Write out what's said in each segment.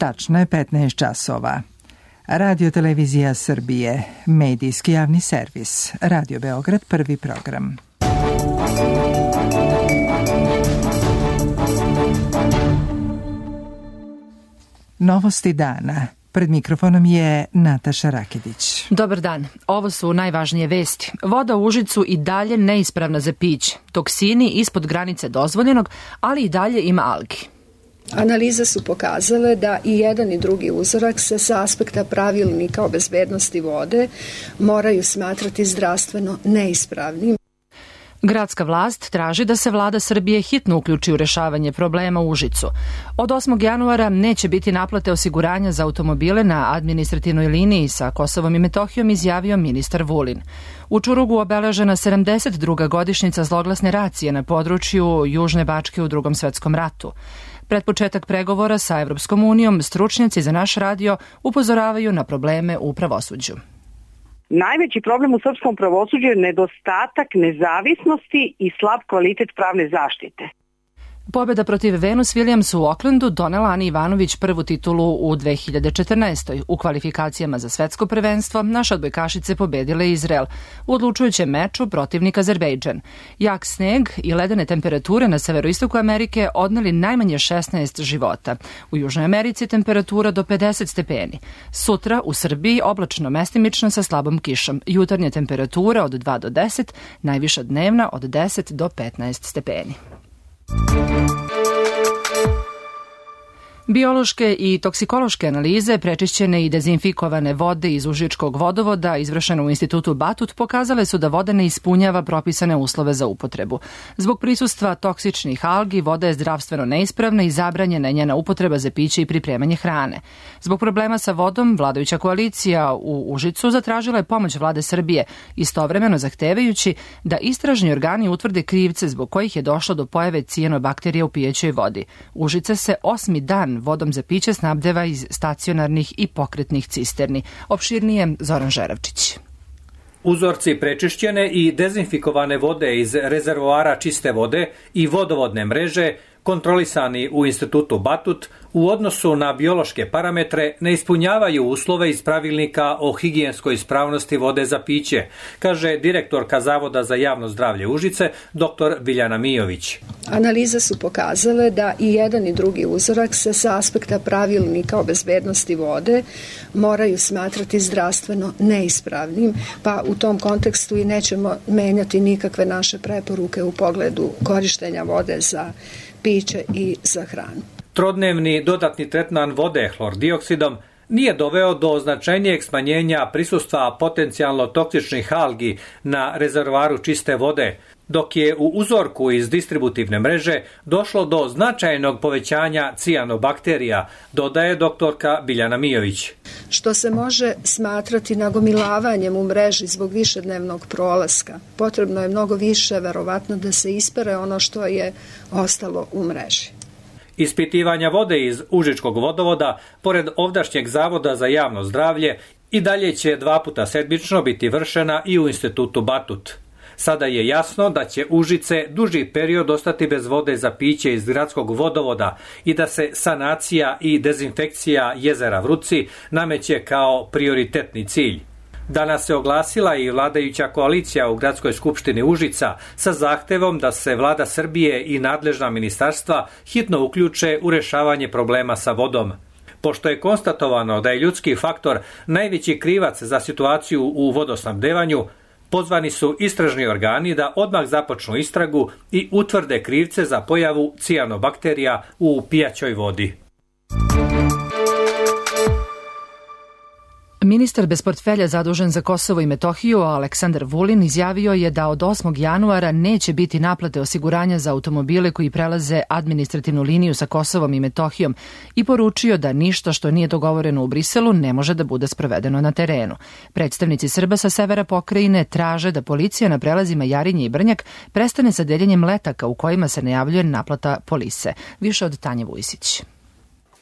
Tačno je 15 časova. Radio Televizija Srbije, medijski javni servis, Radio Beograd, prvi program. Novosti dana. Pred mikrofonom je Nataša Rakedić. Dobar dan. Ovo su najvažnije vesti. Voda u Užicu i dalje neispravna za piće. Toksini ispod granice dozvoljenog, ali i dalje ima algi. Analize su pokazale da i jedan i drugi uzorak se sa aspekta pravilnika o bezbednosti vode moraju smatrati zdravstveno neispravnim. Gradska vlast traži da se vlada Srbije hitno uključi u rešavanje problema u Užicu. Od 8. januara neće biti naplate osiguranja za automobile na administrativnoj liniji sa Kosovom i Metohijom, izjavio ministar Vulin. U Čurugu obeležena 72. godišnjica zloglasne racije na području Južne Bačke u Drugom svetskom ratu. Pred početak pregovora sa Evropskom unijom, stručnjaci za naš radio upozoravaju na probleme u pravosuđu. Najveći problem u srpskom pravosuđu je nedostatak nezavisnosti i slab kvalitet pravne zaštite. Pobjeda protiv Venus Williams u Aucklandu donela Ani Ivanović prvu titulu u 2014. U kvalifikacijama za svetsko prvenstvo naše odbojkašice pobedile Izrael. U odlučujućem meču protivnik Azerbejdžan. Jak sneg i ledene temperature na severoistoku Amerike odneli najmanje 16 života. U Južnoj Americi temperatura do 50 stepeni. Sutra u Srbiji oblačno mestimično sa slabom kišom. Jutarnja temperatura od 2 do 10, najviša dnevna od 10 do 15 stepeni. Biološke i toksikološke analize prečišćene i dezinfikovane vode iz Užičkog vodovoda izvršene u Institutu Batut pokazale su da voda ne ispunjava propisane uslove za upotrebu. Zbog prisustva toksičnih algi voda je zdravstveno neispravna i zabranjena je njena upotreba za piće i pripremanje hrane. Zbog problema sa vodom, vladajuća koalicija u Užicu zatražila je pomoć vlade Srbije, istovremeno zahtevajući da istražni organi utvrde krivce zbog kojih je došlo do pojave cijanobakterija u pijećoj vodi. Užice se 8. dan vodom za piće snabdeva iz stacionarnih i pokretnih cisterni. Opširnije Zoran Žeravčić. Uzorci prečišćene i dezinfikovane vode iz rezervoara čiste vode i vodovodne mreže kontrolisani u Institutu Batut u odnosu na biološke parametre ne ispunjavaju uslove iz pravilnika o higijenskoj ispravnosti vode za piće, kaže direktorka Zavoda za javno zdravlje Užice, dr. Biljana Mijović. Analize su pokazale da i jedan i drugi uzorak se sa aspekta pravilnika o bezbednosti vode moraju smatrati zdravstveno neispravnim, pa u tom kontekstu i nećemo menjati nikakve naše preporuke u pogledu korištenja vode za piće i za hranu. Trodnevni dodatni tretman vode hlordioksidom nije doveo do značajnijeg smanjenja prisustva potencijalno toksičnih algi na rezervoaru čiste vode, dok je u uzorku iz distributivne mreže došlo do značajnog povećanja cijanobakterija, dodaje doktorka Biljana Mijović. Što se može smatrati nagomilavanjem u mreži zbog višednevnog prolaska. Potrebno je mnogo više, verovatno, da se ispere ono što je ostalo u mreži. Ispitivanja vode iz Užičkog vodovoda, pored ovdašnjeg Zavoda za javno zdravlje, i dalje će 2 puta sedmično biti vršena i u Institutu Batut. Sada je jasno da će Užice duži period ostati bez vode za piće iz gradskog vodovoda i da se sanacija i dezinfekcija jezera Vruci nameće kao prioritetni cilj. Danas se oglasila i vladajuća koalicija u Gradskoj skupštini Užica sa zahtevom da se vlada Srbije i nadležna ministarstva hitno uključe u rešavanje problema sa vodom. Pošto je konstatovano da je ljudski faktor najveći krivac za situaciju u vodosnabdevanju, pozvani su istražni organi da odmah započnu istragu i utvrde krivce za pojavu cijanobakterija u pijaćoj vodi. Ministar bez portfelja zadužen za Kosovo i Metohiju, Aleksandar Vulin, izjavio je da od 8. januara neće biti naplate osiguranja za automobile koji prelaze administrativnu liniju sa Kosovom i Metohijom i poručio da ništa što nije dogovoreno u Briselu ne može da bude sprovedeno na terenu. Predstavnici Srba sa severa pokrajine traže da policija na prelazima Jarinje i Brnjak prestane sa deljenjem letaka u kojima se najavljuje naplata polise. Više od Tanje Vujsić.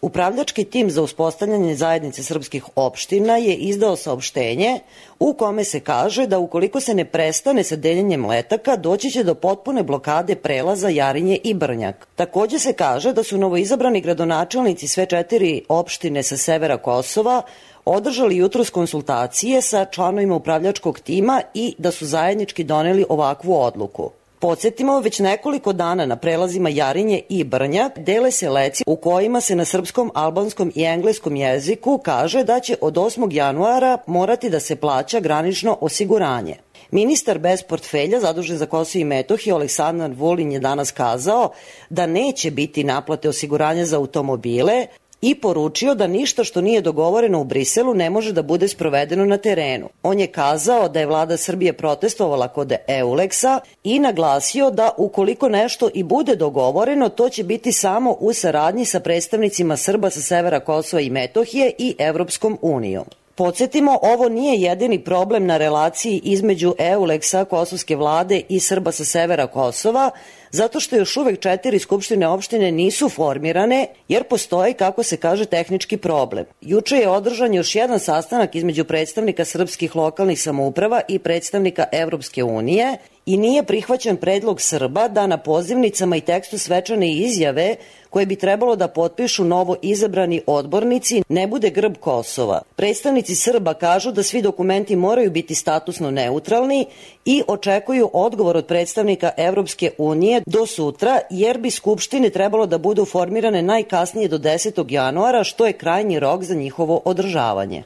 Upravljački tim za uspostavljanje zajednice srpskih opština je izdao saopštenje u kome se kaže da ukoliko se ne prestane sa deljenjem letaka, doći će do potpune blokade prelaza Jarinje i Brnjak. Takođe se kaže da su novoizabrani gradonačelnici sve 4 opštine sa severa Kosova održali jutros konsultacije sa članovima upravljačkog tima i da su zajednički doneli ovakvu odluku. Podsjetimo, već nekoliko dana na prelazima Jarinje i Brnjak dele se leci u kojima se na srpskom, albanskom i engleskom jeziku kaže da će od 8. januara morati da se plaća granično osiguranje. Ministar bez portfelja zadužen za Kosovo i Metohiju Aleksandar Vulin je danas kazao da neće biti naplate osiguranja za automobile i poručio da ništa što nije dogovoreno u Briselu ne može da bude sprovedeno na terenu. On je kazao da je vlada Srbije protestovala kod EULEX-a i naglasio da ukoliko nešto i bude dogovoreno, to će biti samo u saradnji sa predstavnicima Srba sa severa Kosova i Metohije i Evropskom unijom. Podsjetimo, ovo nije jedini problem na relaciji između EULEX-a, kosovske vlade i Srba sa severa Kosova, zato što još uvek 4 skupštine opštine nisu formirane, jer postoji, kako se kaže, tehnički problem. Juče je održan još jedan sastanak između predstavnika srpskih lokalnih samouprava i predstavnika Evropske unije i nije prihvaćen predlog Srba da na pozivnicama i tekstu svečane izjave koje bi trebalo da potpišu novo izabrani odbornici ne bude grb Kosova. Predstavnici Srba kažu da svi dokumenti moraju biti statusno neutralni i očekuju odgovor od predstavnika Evropske unije do sutra, jer bi skupštine trebalo da budu formirane najkasnije do 10. januara, što je krajnji rok za njihovo održavanje.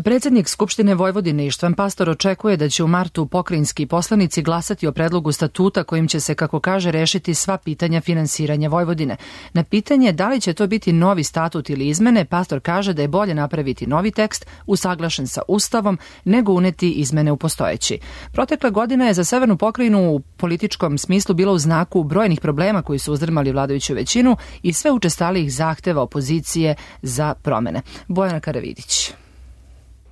Predsednik Skupštine Vojvodine Ištvan Pastor očekuje da će u martu pokrajinski poslanici glasati o predlogu statuta kojim će se, kako kaže, rešiti sva pitanja finansiranja Vojvodine. Na pitanje da li će to biti novi statut ili izmene, Pastor kaže da je bolje napraviti novi tekst usaglašen sa Ustavom nego uneti izmene u postojeći. Protekla godina je za severnu pokrajinu u političkom smislu bila u znaku brojnih problema koji su uzdrmali vladajuću većinu i sve učestalijih zahteva opozicije za promene. Bojana Karavidić.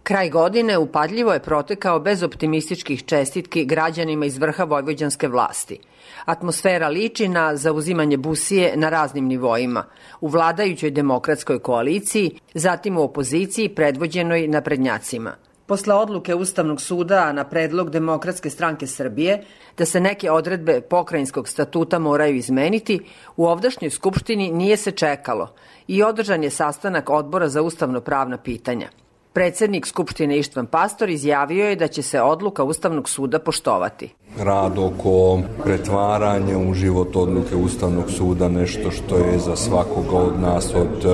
Kraj godine upadljivo je protekao bez optimističkih čestitki građanima iz vrha vojvođanske vlasti. Atmosfera liči na zauzimanje busije na raznim nivoima, u vladajućoj demokratskoj koaliciji, zatim u opoziciji predvođenoj naprednjacima. Posle odluke Ustavnog suda na predlog Demokratske stranke Srbije da se neke odredbe pokrajinskog statuta moraju izmeniti, u ovdašnjoj skupštini nije se čekalo i održan je sastanak Odbora za ustavno-pravna pitanja. Predsednik Skupštine Ištvan Pastor izjavio je da će se odluka Ustavnog suda poštovati. Rad oko pretvaranja u život odluke Ustavnog suda nešto što je za svakoga od nas od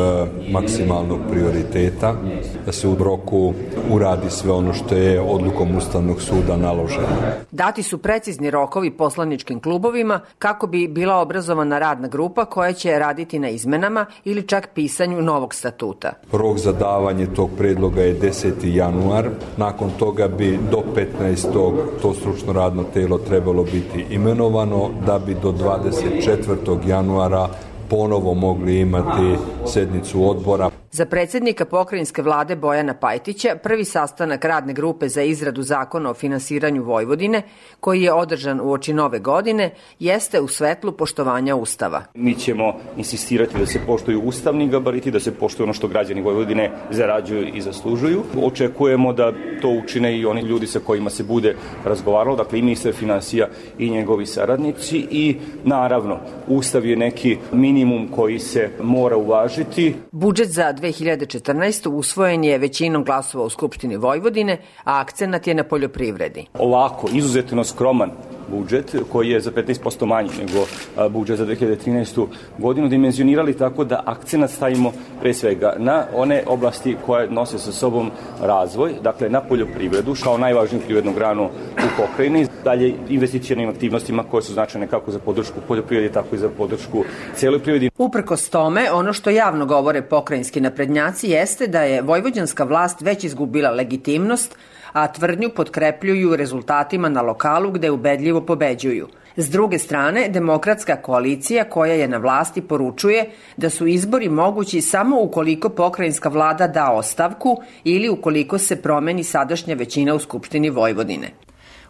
maksimalnog prioriteta, da se u roku uradi sve ono što je odlukom Ustavnog suda naloženo. Dati su precizni rokovi poslaničkim klubovima kako bi bila obrazovana radna grupa koja će raditi na izmenama ili čak pisanju novog statuta. Rok za davanje tog predloga je 10. januar. Nakon toga bi do 15. to stručno radno telo trebalo biti imenovano, da bi do 24. januara ponovo mogli imati sednicu odbora. Za predsednika pokrajinske vlade Bojana Pajtića prvi sastanak radne grupe za izradu zakona o finansiranju Vojvodine, koji je održan uoči nove godine, jeste u svetlu poštovanja Ustava. Mi ćemo insistirati da se poštuju ustavni gabariti, da se poštuje ono što građani Vojvodine zarađuju i zaslužuju. Očekujemo da to učine i oni ljudi sa kojima se bude razgovaralo, dakle i ministar finansija i njegovi saradnici, i naravno Ustav je neki minimum koji se mora uvažiti. Budžet za 2014. usvojen je većinom glasova u Skupštini Vojvodine, a akcenat je na poljoprivredi. Ovako, izuzetno skroman budžet koji je za 15% manji nego budžet za 2013. godinu dimenzionirali tako da akcenat stavimo pre svega na one oblasti koje nose sa sobom razvoj, dakle na poljoprivredu kao najvažniju privrednu granu u pokrajini, dalje investicionim aktivnostima koje su značajne kako za podršku poljoprivredi, tako i za podršku celoj privredi. Uprkos tome, ono što javno govore pokrajinski naprednjaci jeste da je vojvođanska vlast već izgubila legitimnost, a tvrdnju potkrepljuju rezultatima na lokalu gde ubedljivo pobeđuju. S druge strane, demokratska koalicija koja je na vlasti poručuje da su izbori mogući samo ukoliko pokrajinska vlada da ostavku ili ukoliko se promeni sadašnja većina u Skupštini Vojvodine.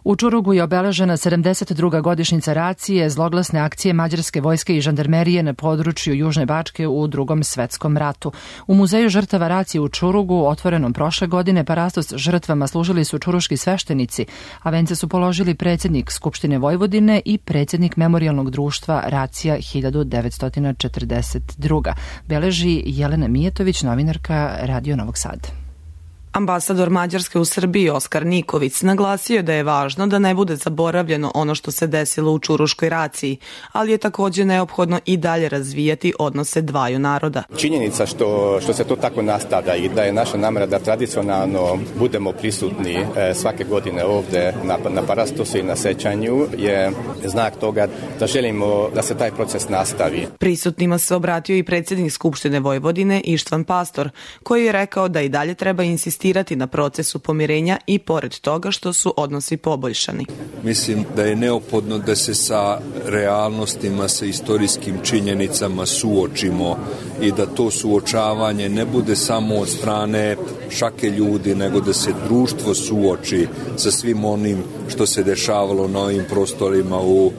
U Čurugu je obeležena 72. godišnjica racije, zloglasne akcije mađarske vojske i žandarmerije na području Južne Bačke u Drugom svetskom ratu. U Muzeju žrtava racije u Čurugu, otvorenom prošle godine, parastos žrtvama služili su čuruški sveštenici, a vence su položili predsjednik Skupštine Vojvodine i predsjednik Memorijalnog društva Racija 1942. Beleži Jelena Mijetović, novinarka Radio Novog Sada. Ambasador Mađarske u Srbiji Oskar Niković naglasio da je važno da ne bude zaboravljeno ono što se desilo u Čuruškoj raciji, ali je također neophodno i dalje razvijati odnose dvaju naroda. Činjenica što se to tako nastavlja i da je naša namera da tradicionalno budemo prisutni svake godine ovde na parastosu i na sećanju je znak toga da želimo da se taj proces nastavi. Prisutnima se obratio i predsjednik Skupštine Vojvodine Ištvan Pastor, koji je rekao da i dalje treba insistirati na procesu pomirenja i pored toga što su odnosi poboljšani. Mislim da je neophodno da se sa realnostima, sa istorijskim činjenicama suočimo i da to suočavanje ne bude samo od strane šake ljudi, nego da se društvo suoči sa svim onim što se dešavalo na ovim prostorima u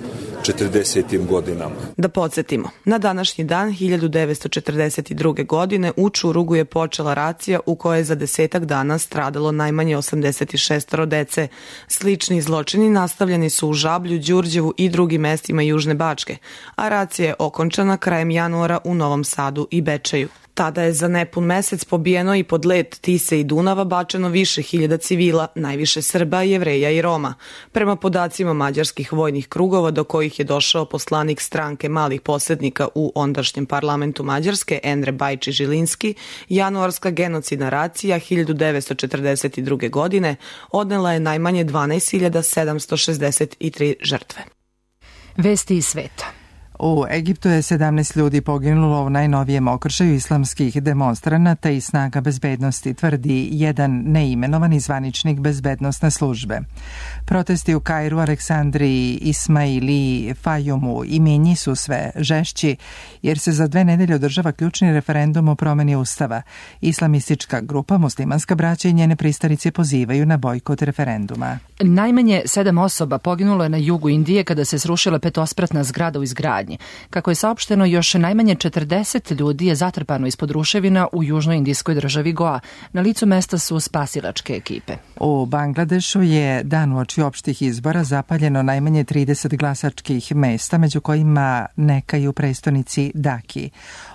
40. godinama. Da podsjetimo, na današnji dan 1942. godine u Čurugu je počela racija u kojoj je za 10 dana stradalo najmanje 86 dece. Slični zločini nastavljeni su u Žablju, Đurđevu i drugim mestima Južne Bačke, a racija je okončana krajem januara u Novom Sadu i Bečeju. Tada je za nepun mesec pobijeno i pod led Tise i Dunava bačeno više hiljada civila, najviše Srba, Jevreja i Roma. Prema podacima mađarskih vojnih krugova do kojih je došao poslanik stranke malih posrednika u ondašnjem parlamentu Mađarske, Endre Bajči-Žilinski, januarska genocidna racija 1942. godine odnela je najmanje 12.763 žrtve. Vesti iz sveta. U Egiptu je 17 ljudi poginulo u najnovijem okršaju islamskih demonstranata i snaga bezbednosti, tvrdi jedan neimenovani zvaničnik bezbednosne službe. Protesti u Kairu, Aleksandriji, Ismailiji, Fajumu i Minji su sve žešći, jer se za 2 nedelje održava ključni referendum o promeni ustava. Islamistička grupa Muslimanska braća i njene pristalice pozivaju na bojkot referenduma. Najmanje 7 osoba poginulo je na jugu Indije kada se srušila petospratna zgrada u izgradnji. Kako je saopšteno, još najmanje 40 ljudi je zatrpano ispod ruševina u južnoj indijskoj državi Goa. Na licu mesta su spasilačke ekipe. U Bangladešu je dan uoči opštih izbora zapaljeno najmanje 30 glasačkih mesta, među kojima neka i u prestonici Daki.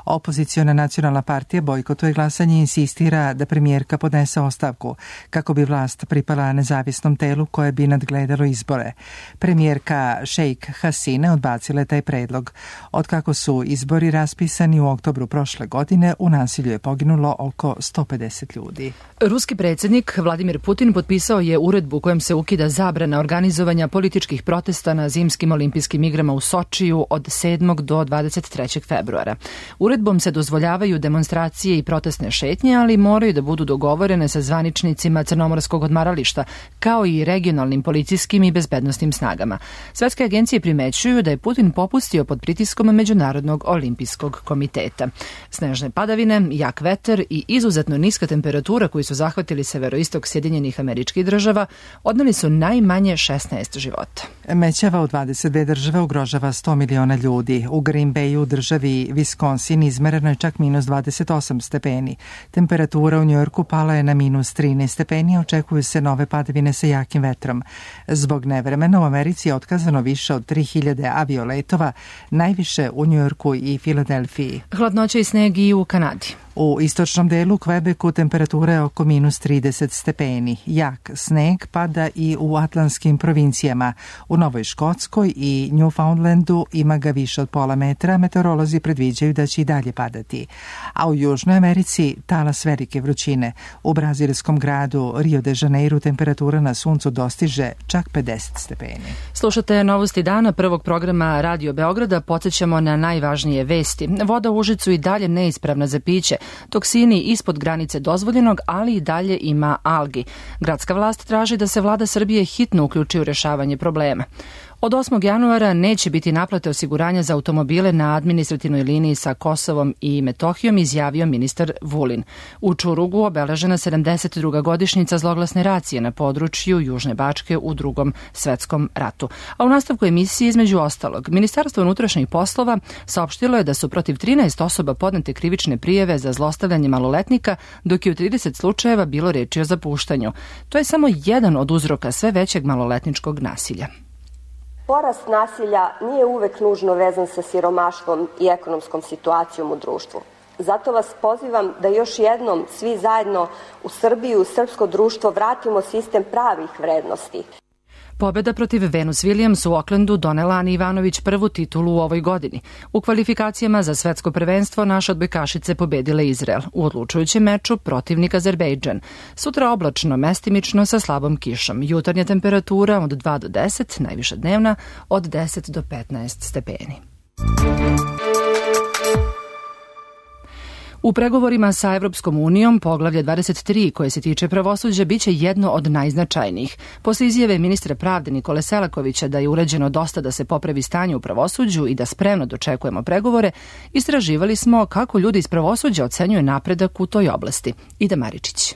Opoziciona nacionalna partija bojkotuje glasanje i insistira da premijerka podnese ostavku kako bi vlast pripala nezavisnom telu koje bi nadgledalo izbore. Premijerka Sheikh Hasina odbacila je taj predlog. Otkako su izbori raspisani u oktobru prošle godine, u nasilju je poginulo oko 150 ljudi. Ruski predsjednik Vladimir Putin potpisao je uredbu kojom se ukida zabrana organizovanja političkih protesta na zimskim olimpijskim igrama u Sočiju od 7. do 23. februara. Uredbom se dozvoljavaju demonstracije i protestne šetnje, ali moraju da budu dogovorene sa zvaničnicima Crnomorskog odmarališta, kao i regionalnim policijskim i bezbednosnim snagama. Svetske agencije primećuju da je Putin popustio pod pritiskom Međunarodnog olimpijskog komiteta. Snežne padavine, jak vetar i izuzetno niska temperatura koji su zahvatili severoistok Sjedinjenih Američkih Država odneli su najmanje 16 života. Mećava u 22 države ugrožava 100 miliona ljudi. U Green Bayu u državi Wisconsin izmereno je čak minus 28 stepeni. Temperatura u Njujorku pala je na minus 13 stepeni, očekuju se nove padavine sa jakim vetrom. Zbog nevremena u Americi je otkazano više od 3000 avioletova, najviše u Njujorku i Filadelfiji. Hladnoća i sneg i u Kanadi. U istočnom delu Kvebeku temperatura je oko minus 30 stepeni. Jak sneg pada i u atlantskim provincijama. U Novoj Škotskoj i Newfoundlandu ima ga više od pola metra, meteorolozi predviđaju da će i dalje padati. A u Južnoj Americi talas velike vrućine. U brazilskom gradu Rio de Janeiro temperatura na suncu dostiže čak 50 stepeni. Slušate novosti dana prvog programa Radio Beograda. Podsjećamo na najvažnije vesti. Voda u Užicu i dalje neispravna za piće. Toksini ispod granice dozvoljenog, ali i dalje ima algi. Gradska vlast traži da se vlada Srbije hitno uključi u rešavanje problema. Od 8. januara neće biti naplate osiguranja za automobile na administrativnoj liniji sa Kosovom i Metohijom, izjavio ministar Vulin. U Čurugu obeležena 72. godišnjica zloglasne racije na području Južne Bačke u Drugom svetskom ratu. A u nastavku emisije, između ostalog, Ministarstvo unutrašnjih poslova saopštilo je da su protiv 13 osoba podnete krivične prijave za zlostavljanje maloletnika, dok je u 30 slučajeva bilo reči o zapuštanju. To je samo jedan od uzroka sve većeg maloletničkog nasilja. Porast nasilja nije uvek nužno vezan sa siromaštvom i ekonomskom situacijom u društvu. Zato vas pozivam da još jednom svi zajedno u Srbiju, u srpsko društvo vratimo sistem pravih vrednosti. Pobjeda protiv Venus Williams u Oklandu donela Ani Ivanović prvu titulu u ovoj godini. U kvalifikacijama za svetsko prvenstvo naše odbojkašice pobedile Izrael u odlučujućem meču protivnik Azerbejdžan. Sutra oblačno, mestimično sa slabom kišom. Jutarnja temperatura od 2 do 10, najviša dnevna od 10 do 15 stepeni. U pregovorima sa Evropskom unijom poglavlje 23 koje se tiče pravosuđa biće jedno od najznačajnijih. Posle izjave ministra pravde Nikole Selakovića da je urađeno dosta da se popravi stanje u pravosuđu i da spremno dočekujemo pregovore, istraživali smo kako ljudi iz pravosuđa ocenjuju napredak u toj oblasti. Ida Maričić.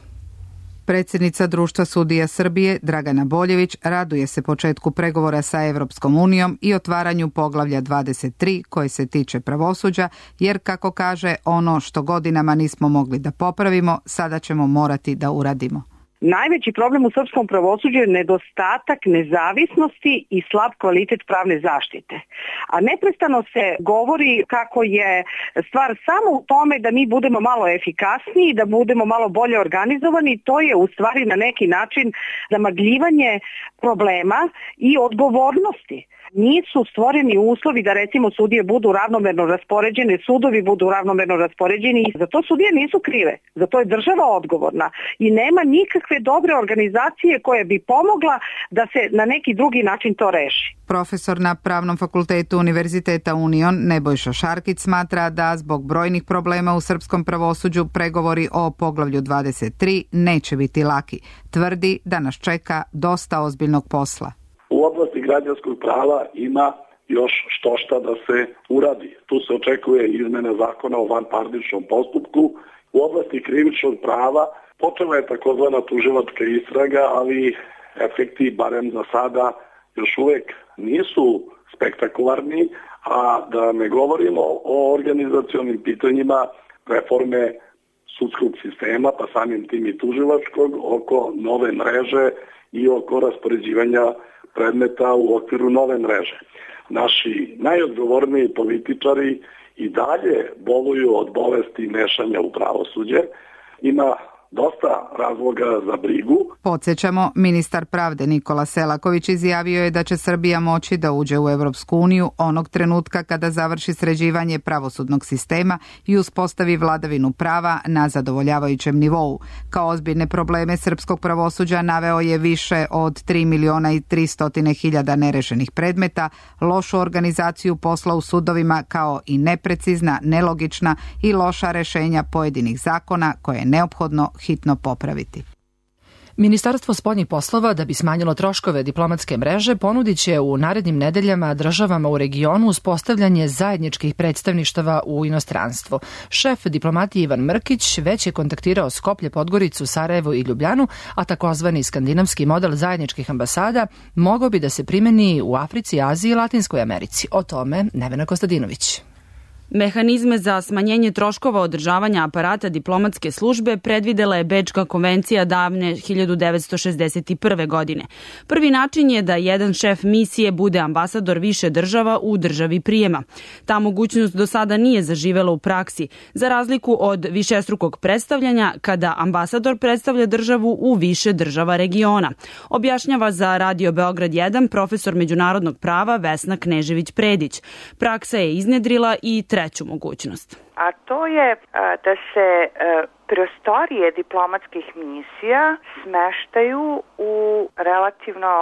Predsjednica Društva sudija Srbije, Dragana Boljević, raduje se početku pregovora sa Evropskom unijom i otvaranju poglavlja 23 koje se tiče pravosuđa, jer, kako kaže, ono što godinama nismo mogli da popravimo, sada ćemo morati da uradimo. Najveći problem u srpskom pravosuđu je nedostatak nezavisnosti i slab kvalitet pravne zaštite. A neprestano se govori kako je stvar samo u tome da mi budemo malo efikasniji, da budemo malo bolje organizovani. To je u stvari na neki način zamagljivanje problema i odgovornosti. Nisu stvoreni uslovi da recimo sudije budu ravnomerno raspoređene, sudovi budu ravnomerno raspoređeni i za to sudije nisu krive, za to je država odgovorna i nema nikakve dobre organizacije koja bi pomogla da se na neki drugi način to reši. Profesor na Pravnom fakultetu Univerziteta Union Nebojša Šarkić smatra da zbog brojnih problema u srpskom pravosuđu pregovori o poglavlju 23 neće biti laki. Tvrdi da nas čeka dosta ozbiljnog posla. U oblasti građanskog prava ima još štošta da se uradi. Tu se očekuje izmena zakona o vanparničnom postupku. U oblasti krivičnog prava počela je takozvana tužilačka istraga, ali efekti, barem za sada, još uvek nisu spektakularni, a da ne govorimo o organizacionim pitanjima reforme sudskog sistema, pa samim tim i tužilačkog, oko nove mreže i oko raspoređivanja predmeta u okviru nove mreže. Naši najodgovorniji političari i dalje boluju od bolesti mešanja u pravosuđe. Ima dosta razloga za brigu. Podsjećamo, ministar pravde Nikola Selaković izjavio je da će Srbija moći da uđe u Evropsku uniju onog trenutka kada završi sređivanje pravosudnog sistema i uspostavi vladavinu prava na zadovoljavajućem nivou. Kao ozbiljne probleme srpskog pravosuđa naveo je više od 3.300.000 nerešenih predmeta, lošu organizaciju posla u sudovima kao i neprecizna, nelogična i loša rešenja pojedinih zakona koje je neophodno hitno popraviti. Ministarstvo spoljnih poslova, da bi smanjilo troškove diplomatske mreže, ponudit će u narednim nedeljama državama u regionu uspostavljanje zajedničkih predstavništava u inostranstvu. Šef diplomatije Ivan Mrkić već je kontaktirao Skoplje, Podgoricu, Sarajevo i Ljubljanu, a takozvani skandinavski model zajedničkih ambasada mogao bi da se primeni u Africi, Aziji i Latinskoj Americi. O tome Nevena Kostadinović. Mehanizme za smanjenje troškova održavanja aparata diplomatske službe predvidela je Bečka konvencija davne 1961. godine. Prvi način je da jedan šef misije bude ambasador više država u državi prijema. Ta mogućnost do sada nije zaživela u praksi, za razliku od višestrukog predstavljanja kada ambasador predstavlja državu u više država regiona. Objašnjava za Radio Beograd 1 profesor međunarodnog prava Vesna Knežević-Predić. Praksa je iznedrila i treću mogućnost. a to je da se prostorije diplomatskih misija smeštaju u relativno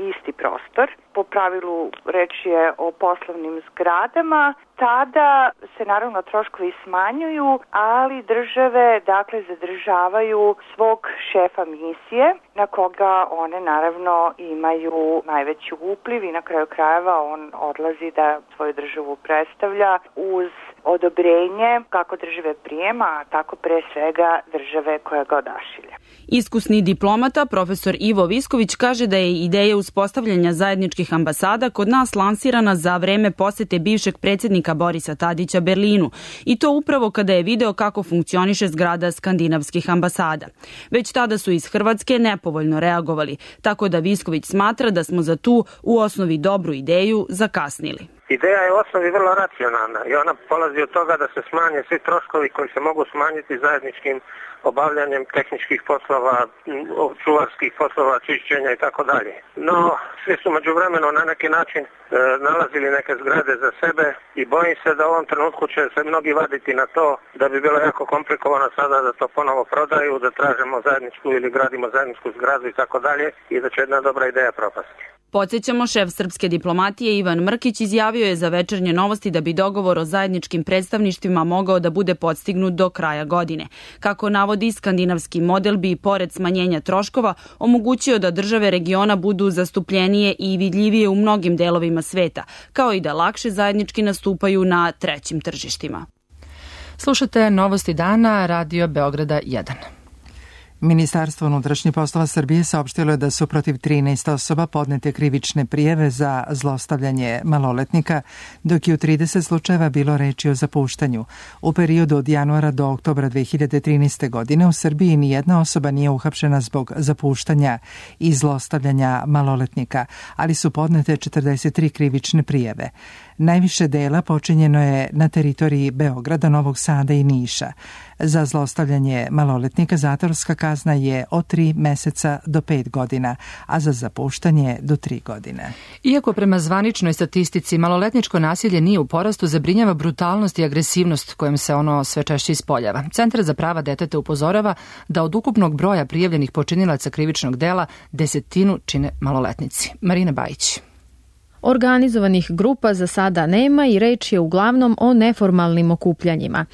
isti prostor. Po pravilu reč je o poslovnim zgradama. Tada se naravno troškovi smanjuju, ali države dakle zadržavaju svog šefa misije na koga one naravno imaju najveći upliv i na kraju krajeva on odlazi da svoju državu predstavlja uz odobrenje kako države prijema, a tako pre svega države koja ga odašilja. Iskusni diplomata, profesor Ivo Visković, kaže da je ideja uspostavljanja zajedničkih ambasada kod nas lansirana za vreme posete bivšeg predsjednika Borisa Tadića Berlinu i to upravo kada je video kako funkcioniše zgrada skandinavskih ambasada. Već tada su iz Hrvatske nepovoljno reagovali, tako da Visković smatra da smo za tu u osnovi dobru ideju zakasnili. Ideja je u osnovi vrlo racionalna i ona polazi od toga da se smanje svi troškovi koji se mogu smanjiti zajedničkim obavljanjem tehničkih poslova, čuvarskih poslova, čišćenja i tako dalje. No, svi su međuvremeno na neki način nalazili neke zgrade za sebe i bojim se da u ovom trenutku će se mnogi vaditi na to da bi bilo jako komplikovano sada da to ponovo prodaju, da tražimo zajedničku ili gradimo zajedničku zgradu i tako dalje i da će jedna dobra ideja propasti. Podsjećamo, šef srpske diplomatije Ivan Mrkić izjavio je za Večernje novosti da bi dogovor o zajedničkim predstavništvima mogao da bude postignut do kraja godine. Kako navodi, skandinavski model bi, pored smanjenja troškova, omogućio da države regiona budu zastupljenije i vidljivije u mnogim delovima sveta, kao i da lakše zajednički nastupaju na trećim tržištima. Slušate Novosti dana, Radio Beograda 1. Ministarstvo unutrašnjih poslova Srbije saopštilo je da su protiv 13 osoba podnete krivične prijave za zlostavljanje maloletnika, dok je u 30 slučajeva bilo reči o zapuštanju. U periodu od januara do oktobra 2013. godine u Srbiji nijedna osoba nije uhapšena zbog zapuštanja i zlostavljanja maloletnika, ali su podnete 43 krivične prijave. Najviše dela počinjeno je na teritoriji Beograda, Novog Sada i Niša. Za zlostavljanje maloletnika zatvorska kazna je od 3 meseca do 5 godina, a za zapuštanje do 3 godine. Iako prema zvaničnoj statistici maloletničko nasilje nije u porastu, zabrinjava brutalnost i agresivnost kojom se ono sve češće ispoljava. Centar za prava deteta upozorava da od ukupnog broja prijavljenih počinilaca krivičnog dela 10% čine maloletnici. Marina Bajić. Organizovanih grupa za sada nema i reč je uglavnom o neformalnim okupljanjima.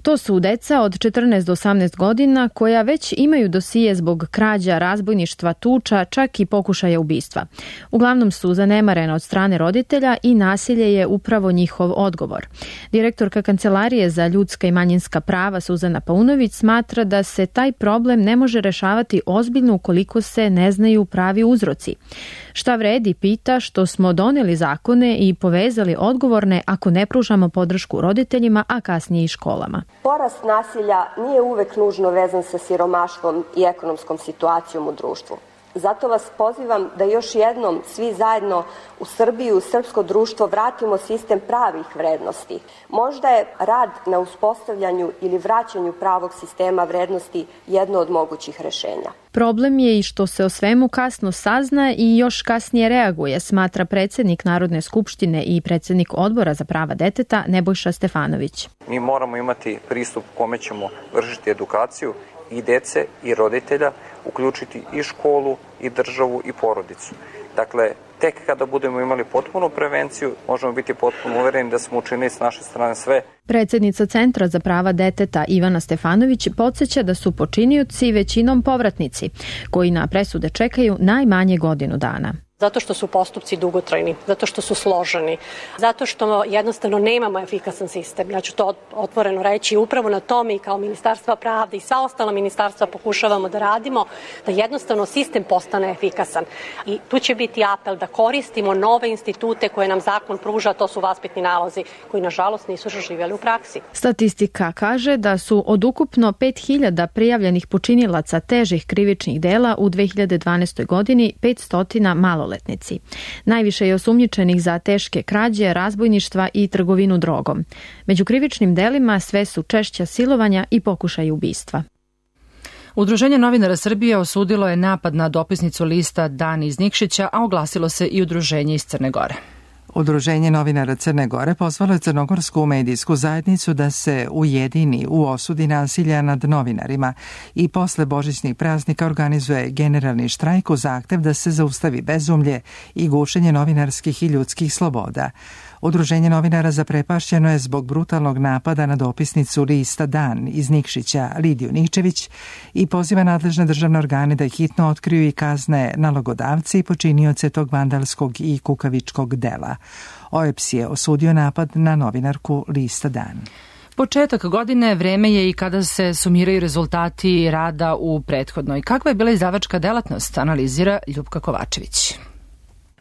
To su deca od 14 do 18 godina koja već imaju dosije zbog krađa, razbojništva, tuča, čak i pokušaja ubistva. Uglavnom su zanemarena od strane roditelja i nasilje je upravo njihov odgovor. Direktorka Kancelarije za ljudska i manjinska prava Suzana Paunović smatra da se taj problem ne može rešavati ozbiljno ukoliko se ne znaju pravi uzroci. Šta vredi, pita, što smo doneli zakone i povezali odgovorne ako ne pružamo podršku roditeljima, a kasnije i školama. Porast nasilja nije uvek nužno vezan sa siromaštvom i ekonomskom situacijom u društvu. Zato vas pozivam da još jednom svi zajedno u Srbiju, u srpsko društvo vratimo sistem pravih vrednosti. Možda je rad na uspostavljanju ili vraćanju pravog sistema vrednosti jedno od mogućih rešenja. Problem je i što se o svemu kasno sazna i još kasnije reaguje, smatra predsjednik Narodne skupštine i predsjednik Odbora za prava deteta Nebojša Stefanović. Mi moramo imati pristup kome ćemo vršiti edukaciju i dece i roditelja, uključiti i školu, i državu, i porodicu. Dakle, tek kada budemo imali potpunu prevenciju, možemo biti potpuno uvereni da smo učinili s naše strane sve. Predsjednica Centra za prava deteta Ivana Stefanović podsjeća da su počinioci većinom povratnici, koji na presude čekaju najmanje godinu dana. Zato što su postupci dugotrajni, zato što su složeni, zato što jednostavno nemamo efikasan sistem. Ja ću to otvoreno reći, upravo na tome i kao Ministarstva pravde i sva ostala ministarstva pokušavamo da radimo, da jednostavno sistem postane efikasan. I tu će biti apel da koristimo nove institute koje nam zakon pruža, to su vaspitni nalozi, koji nažalost nisu živjeli u praksi. Statistika kaže da su od ukupno 5000 prijavljenih počinilaca težih krivičnih dela u 2012. godini 500 maloletnici. Najviše je osumnjičenih za teške krađe, razbojništva i trgovinu drogom. Među krivičnim delima sve su češća silovanja i pokušaj ubistva. Udruženje novinara Srbije osudilo je napad na dopisnicu lista Dan iz Nikšića, a oglasilo se i udruženje iz Crne Gore. Udruženje novinara Crne Gore pozvalo je crnogorsku medijsku zajednicu da se ujedini u osudi nasilja nad novinarima i posle božićnih praznika organizuje generalni štrajk u zahtev da se zaustavi bezumlje i gušenje novinarskih i ljudskih sloboda. Udruženje novinara zaprepašćeno je zbog brutalnog napada na dopisnicu lista Dan iz Nikšića Lidiju Nikčević i poziva nadležne državne organe da hitno otkriju i kazne nalogodavci i počinioce tog vandalskog i kukavičkog dela. OEPS je osudio napad na novinarku lista Dan. Početak godine vreme je i kada se sumiraju rezultati rada u prethodnoj. Kakva je bila izdavačka delatnost, analizira Ljupka Kovačević.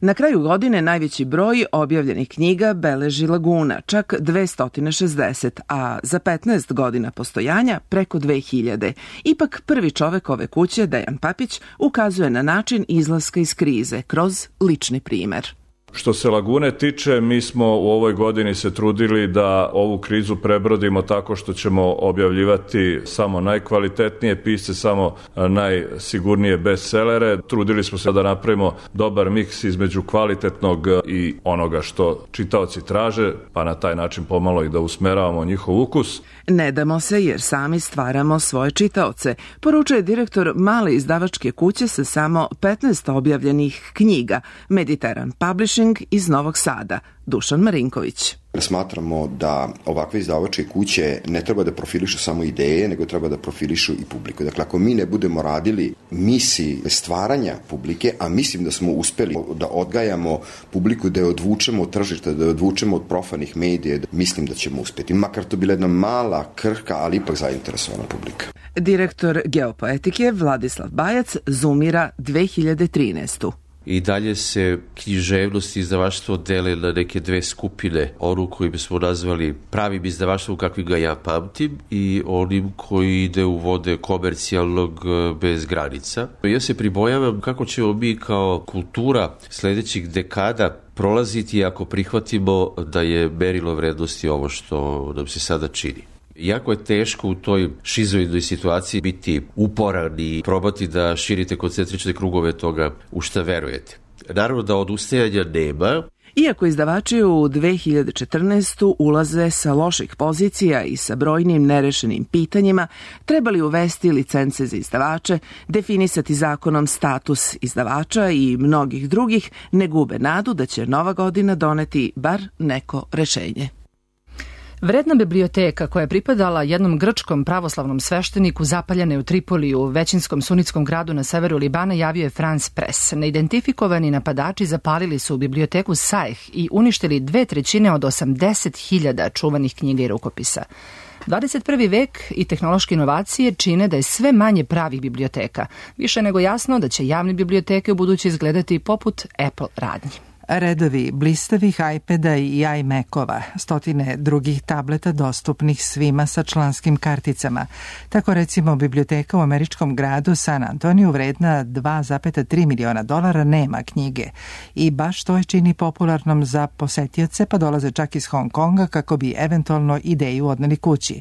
Na kraju godine najveći broj objavljenih knjiga beleži Laguna, čak 260, a za 15 godina postojanja preko 2000. Ipak prvi čovek ove kuće, Dejan Papić, ukazuje na način izlaska iz krize kroz lični primer. Što se Lagune tiče, mi smo u ovoj godini se trudili da ovu krizu prebrodimo tako što ćemo objavljivati samo najkvalitetnije pisce, samo najsigurnije bestsellere. Trudili smo se da napravimo dobar miks između kvalitetnog i onoga što čitaoci traže, pa na taj način pomalo i da usmeravamo njihov ukus. Ne damo se jer sami stvaramo svoje čitaoce, poručuje direktor male izdavačke kuće sa samo 15 objavljenih knjiga, Mediteran Publishing iz Novog Sada, Dušan Marinković. Smatramo da ovakve izdavačke kuće ne treba da profilišu samo ideje, nego treba da profilišu i publiku. Dakle, ako mi ne budemo radili misiji stvaranja publike, a mislim da smo uspeli da odgajamo publiku, da je odvučemo od tržišta, da je odvučemo od profanih medija, mislim da ćemo uspeti. Makar to bila jedna mala, krhka, ali ipak zainteresovana publika. Direktor Geopoetike Vladislav Bajac zoomira 2013. I dalje se književnost i izdavaštvo dele na neke dve skupine. Onu koju bismo nazvali pravim izdavaštvom kakvi ga ja pamtim i onim koji ide u vode komercijalnog bez granica. Ja se pribojavam kako ćemo mi kao kultura sledećih dekada prolaziti ako prihvatimo da je merilo vrednosti ovo što nam se sada čini. Jako je teško u toj šizoidnoj situaciji biti uporan i probati da širite koncentrične krugove toga u šta verujete. Naravno da odustajanja nema. Iako izdavači u 2014. ulaze sa loših pozicija i sa brojnim nerešenim pitanjima, trebali uvesti licence za izdavače, definisati zakonom status izdavača i mnogih drugih, ne gube nadu da će nova godina doneti bar neko rešenje. Vredna biblioteka koja je pripadala jednom grčkom pravoslavnom svešteniku zapaljena je u Tripoliju, većinskom sunitskom gradu na severu Libana, javio je France Press. Neidentifikovani napadači zapalili su biblioteku Sajh i uništili 2/3 od 80.000 čuvanih knjiga i rukopisa. 21. vek i tehnološke inovacije čine da je sve manje pravih biblioteka. Više nego jasno da će javne biblioteke u buduće izgledati poput Apple radnji. Redovi blistavih iPada i iMacova, stotine drugih tableta dostupnih svima sa članskim karticama. Tako recimo biblioteka u američkom gradu San Antoniju vredna $2,3 miliona nema knjige i baš to je čini popularnom za posetioce, pa dolaze čak iz Hong Konga kako bi eventualno ideju odneli kući.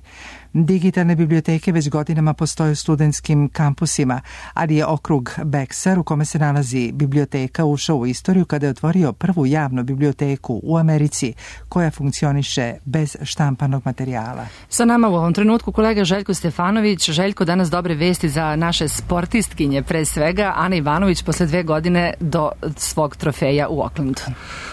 Digitalne biblioteke već godinama postoje u studentskim kampusima, ali je okrug Bexar u kome se nalazi biblioteka ušao u istoriju kada je otvorio prvu javnu biblioteku u Americi koja funkcioniše bez štampanog materijala. Sa nama u ovom trenutku kolega Željko Stefanović. Željko, danas dobre vesti za naše sportistkinje, pre svega Ana Ivanović posle 2 godine do svog trofeja u Aucklandu.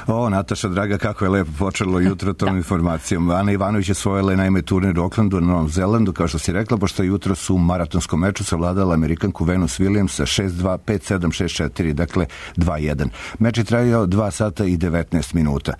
O, Nataša, draga, kako je lepo počelo jutro tom informacijom. Ana Ivanović je svojila naime turnir u Aucklandu na Novom Zelandu, kao što si rekla, pošto je jutro u maratonskom meču savladala Amerikanku Venus Williams 6-2, 5-7, 6-4, dakle 2-1. Meč je trajao 2 sata i 19 minuta.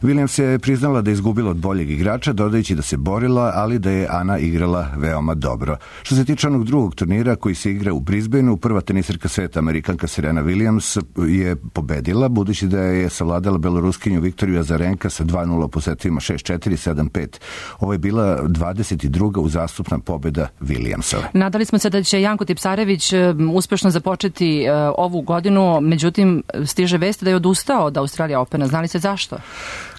Williams je priznala da je izgubila od boljeg igrača, dodajući da se borila, ali da je Ana igrala veoma dobro. Što se tiče onog drugog turnira koji se igra u Brisbaneu, prva tenisirka sveta, Amerikanka Serena Williams, je pobedila, budući da je savladala beloruskinju Viktoriju Azarenka sa 2-0 po setovima 6-4, 7-5. Ovo je bila 22. uzastopna pobeda Williamsove. Nadali smo se da će Janko Tipsarević uspešno započeti ovu godinu, međutim stiže vest da je odustao odustao od Australija Opena. Znali se zašto?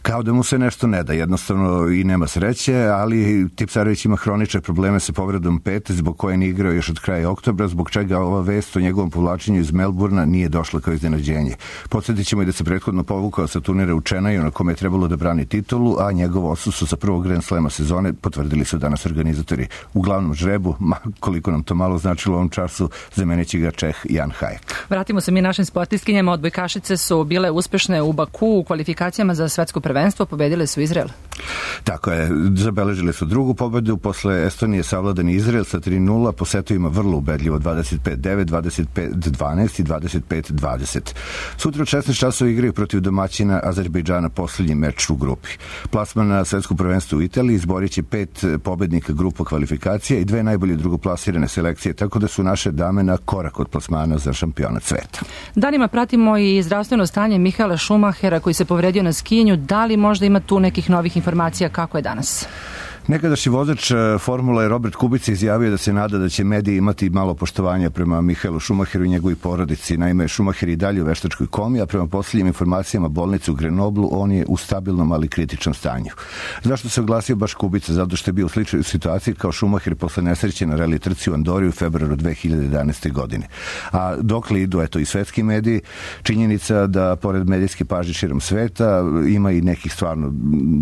Kao da mu se nešto ne da, jednostavno i nema sreće, ali Tipsarević ima hronične probleme sa povredom pete, zbog koje nije igrao još od kraja oktobra, zbog čega ova vest o njegovom povlačenju iz Melburna nije došla kao iznenađenje. Podsjetit ćemo i da se prethodno povukao sa turnira u Čenaju na kome je trebalo da brani titulu, a njegovo odsustvo sa prvog Grand Slema sezone potvrdili su danas organizatori. U glavnom žrebu, koliko nam to malo značilo u ovom času, zamenit će ga Čeh Jan Hajek. Vratimo se mi našim sportistkinjama. Odbojkašice su bile uspešne u Baku u kvalifikacijama za svetsko prvenstvo, pobedile su Izrael. Tako je, zabeležili su drugu pobedu, posle Estonije savladani Izrael sa 3-0, po setovima vrlo ubedljivo 25-9, 25-12 i 25-20. Sutra u 16 časova igraju protiv domaćina Azerbejdžana posljednji meč u grupi. Plasman na svetsko prvenstvo u Italiji izborit će 5 pobednika grupa kvalifikacija i 2 najbolje drugoplasirane selekcije, tako da su naše dame na korak od plasmana za šampionat sveta. Danima pratimo i zdravstveno stanje Mihaela Schumachera koji se povredio na skijenju. Da li možda ima tu nekih novih informacija kako je danas? Nekadašnji vozač Formule Robert Kubica izjavio da se nada da će mediji imati malo poštovanja prema Mihaelu Schumacheru i njegovoj porodici. Naime, Schumacher i dalje u veštačkoj komi, a prema posljednjim informacijama bolnice u Grenoblu on je u stabilnom, ali kritičnom stanju. Zašto se oglasio baš Kubica? Zato što je bio u sličnoj situaciji kao Schumacher posle nesreće na rally trci u Andori u februaru 2011. godine. A dokle idu, eto, i svetski mediji, činjenica da pored medijske pažnje širom sveta ima i nekih stvarno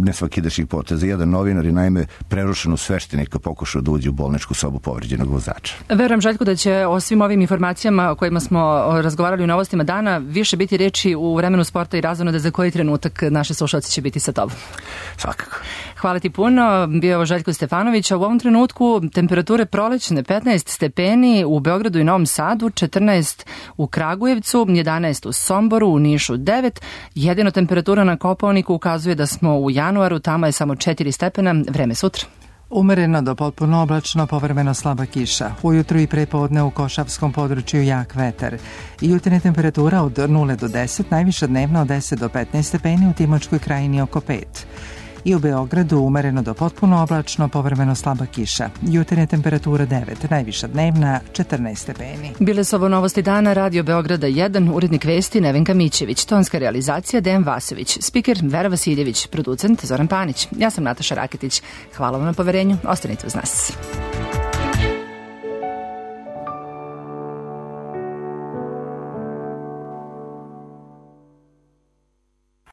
nesvakidašnjih poteza. Jedan novinar je naime prerušenu sveštenika pokušao da uđe u bolničku sobu povređenog vozača. Verujem, Željko, da će o svim ovim informacijama o kojima smo razgovarali u Novostima dana više biti reči u vremenu sporta i razonode za koji trenutak naše slušalci će biti sa tobom. Svakako. Hvala ti puno. Bio je Željko Stefanović. U ovom trenutku temperature prolećne 15 stepeni u Beogradu i Novom Sadu, 14 u Kragujevcu, 11 u Somboru, u Nišu 9. Jedino temperatura na Kopaoniku ukazuje da smo u januaru, tamo je samo 4 stepena. Vreme sutra. Umereno do potpuno oblačno, povremeno slaba kiša. Ujutru i prepodne u Košavskom području jak vetar. Jutarnja temperatura od 0 do 10, najviša dnevna od 10 do 15 stepeni, u Timočkoj krajini oko 5. I u Beogradu umereno do potpuno oblačno, povremeno slaba kiša. Jutarnja temperatura 9, najviša dnevna 14 stepeni. Bile su ovo Novosti dana, Radio Beograda 1, urednik vesti Nevenka Mićević, tonska realizacija Dejan Vasović, spiker Vera Vasiljević, producent Zoran Panić. Ja sam Nataša Raketić. Hvala vam na poverenju, ostanite uz nas.